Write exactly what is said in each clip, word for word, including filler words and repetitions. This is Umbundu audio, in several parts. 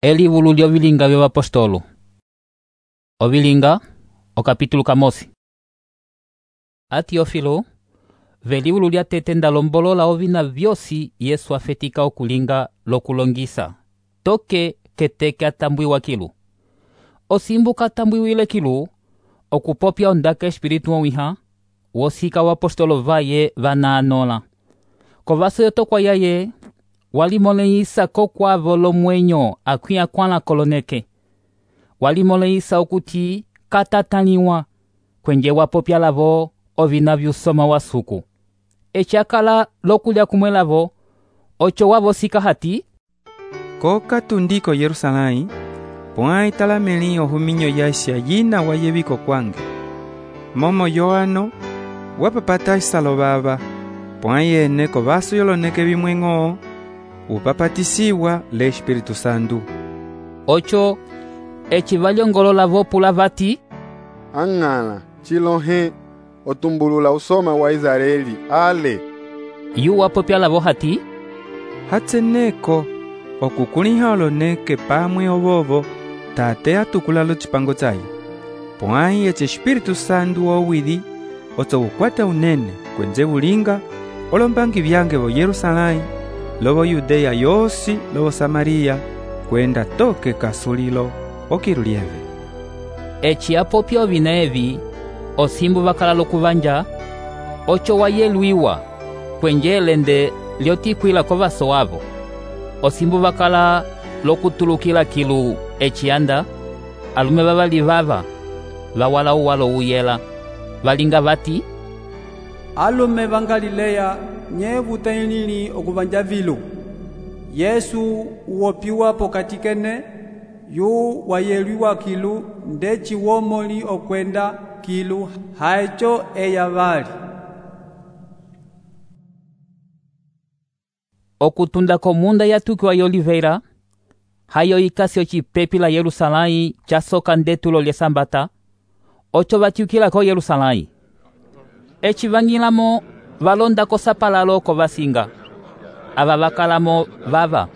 Elivulu lyovilinga vyovapostolo. Ovilinga, o capítulo camosi. A Teófilo, velivulu lya tete ndalombolola ovina vyosi Yesu afetika okulinga lokulongisa. Toke keteke atambwiwa kilu. Osimbu katambwiwile kilu, okupopya ondaka espiritu owiha, wosika wapostolo vaye vanaanola. Kovaso yotokwa yaye, walimoleisa kokwavo lomwenyo akwia kwana koloneke. Walimoleisa okuti katataniwa kwenje wapopya lavo ovina vyusoma wasuku. Echakala lokulya kumwe lavo, ocho wavo sika hati Koka tundiko Yerusalai, pwai talameli ohuminyo yasya yina wayeviko kwange. Momo yoano, wapapata isalo baba, pwai ene kovaso yoloneke bimwengo, upapatisiwa le Espiritu Santo. Ocho, echivalyongolola vopula vati Ang'ala, chilohe, otumbulula usoma wa Israeli, ale. Yu wapopya lavo hati Hatseneko, okukuliha oloneke pamwe ovovo, tate atukulalo chipango chai. Pwai eche Espiritu Santo owidi, oto ukwata unene, kwenze ulinga, olombangi vyange vo Yerusalai, lovo Yudea yosi, lovo Samaria, kwenda toke kasulilo, okirulieve. echi apopya ovina evi, osimbu vakala lokuvanja, ocho wayelwiwa, kwenje elende lyotikwila kovaso wavo. Osimbu vakala lokutulukila kilu echianda, alume vavali vava, vawala uwalo uyela, valinga vati alume vangalileya nyevutailili okuvanja vilu. Yesu uwopiwa pokati kene, yu wayelwiwa kilu ndeci womoli okwenda kilu haecho eya vali. okutunda komunda yatukiwa y'Oliveira, hayo ikasi ocipepi la Yerusalai chasoka ndetulo lya Sambata, ocho vatiukila ko Yerusalai. Eci vangilamo valonda kosapalalo ko vasinga. Ava vakalamo vava: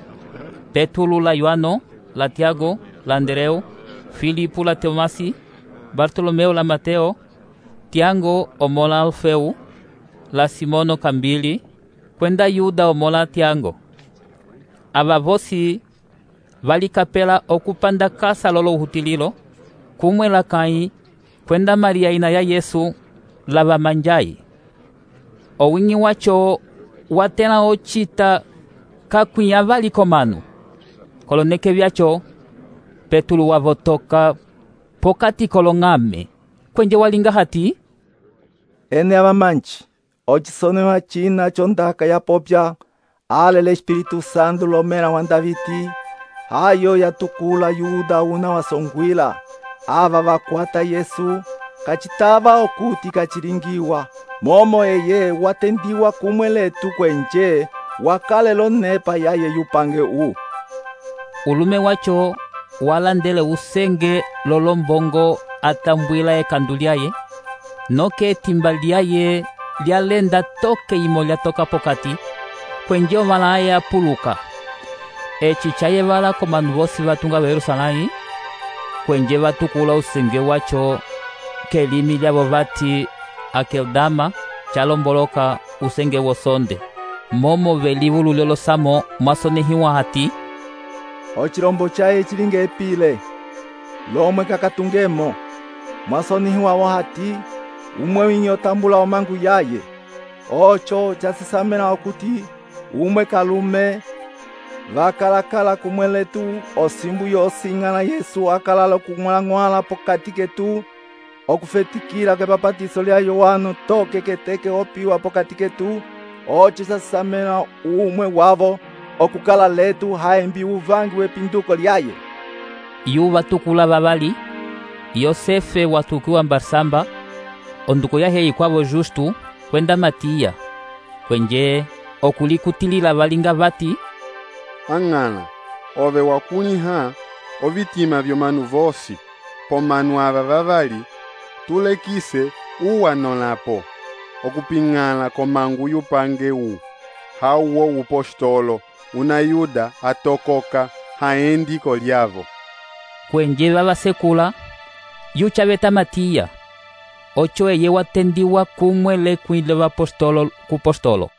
Petulu la Yohano, la Tiago, la Andreu, Filipu la Tomasi, Bartolomeu la Mateo, Tiago omola Alfeu, la Simono Kambili, kwenda Yuda omola Tiago. Ava vosi valikapela okupanda kasa lolo uhutililo, kumwe la kai, kwenda Maria ina ya Yesu, lava manjai. Owingi wacho watela ochita kakwia vali komanu. Koloneke vyacho, Petulu wavotoka pokati kolongame, kwenje walinga hati ene abamanchi, ochisonewa china chondaka ya popya, ale le Espiritu Santo lomera wa Daviti, hayo yatukula Yuda una wasongwila, ava vakwata Yesu, kachitava okuti kachilingiwa, momo eye watendiwa kumwe letu kwenje, wakale lonepa yaye yupange u. Ulume wacho walandele usenge lolombongo atambwila ekandu lyaye, noke timba lyaye lyalenda toke imo lyatoka pokati, kwenje ovala aya puluka. Eci chaye vala komanu vosi vatunga wa Yerusalai, kwenje vatukula usenge wacho kelimi lyavo vati Akeldama, chalomboloka usenge wosonde. Momo velivulu lyolosamo mwasonehiwa hati Ochilombo chaye chilinga epile, lomwe kakatungemo, mwasonihiwa wahati, umwe winyo tambula omangu yaye. Ocho chasisamena okuti, umwe kalume, vakalakala kumwe letu, osimbu yosingana Yesu akalala kumwala pokati ketu, okufetikila kepapatiso lya Yohano toke keteke opiwa pokati ketu, ocho chasisamena umwe wavo, okukala letu haembi uvangi wepinduko lyaye. Yu vatukula vavali, Yosefe watukiwa Barsamba, onduko yahe ikwavo Justu, kwenda Matia, kwenje okulikutilila valinga vati Ang'ala, ove wakunyiha, ovitima vyomanu vosi, pomanu ava vavali, tulekise uwanolapo, okuping'ala komangu yupange u, hauwo upostolo, una Yuda atokoka haendi kolyavo. Kwenjeva vasekula yuchaveta Matiya, ocho eye watendiwa kumwe lekwile vapostolo kupostolo.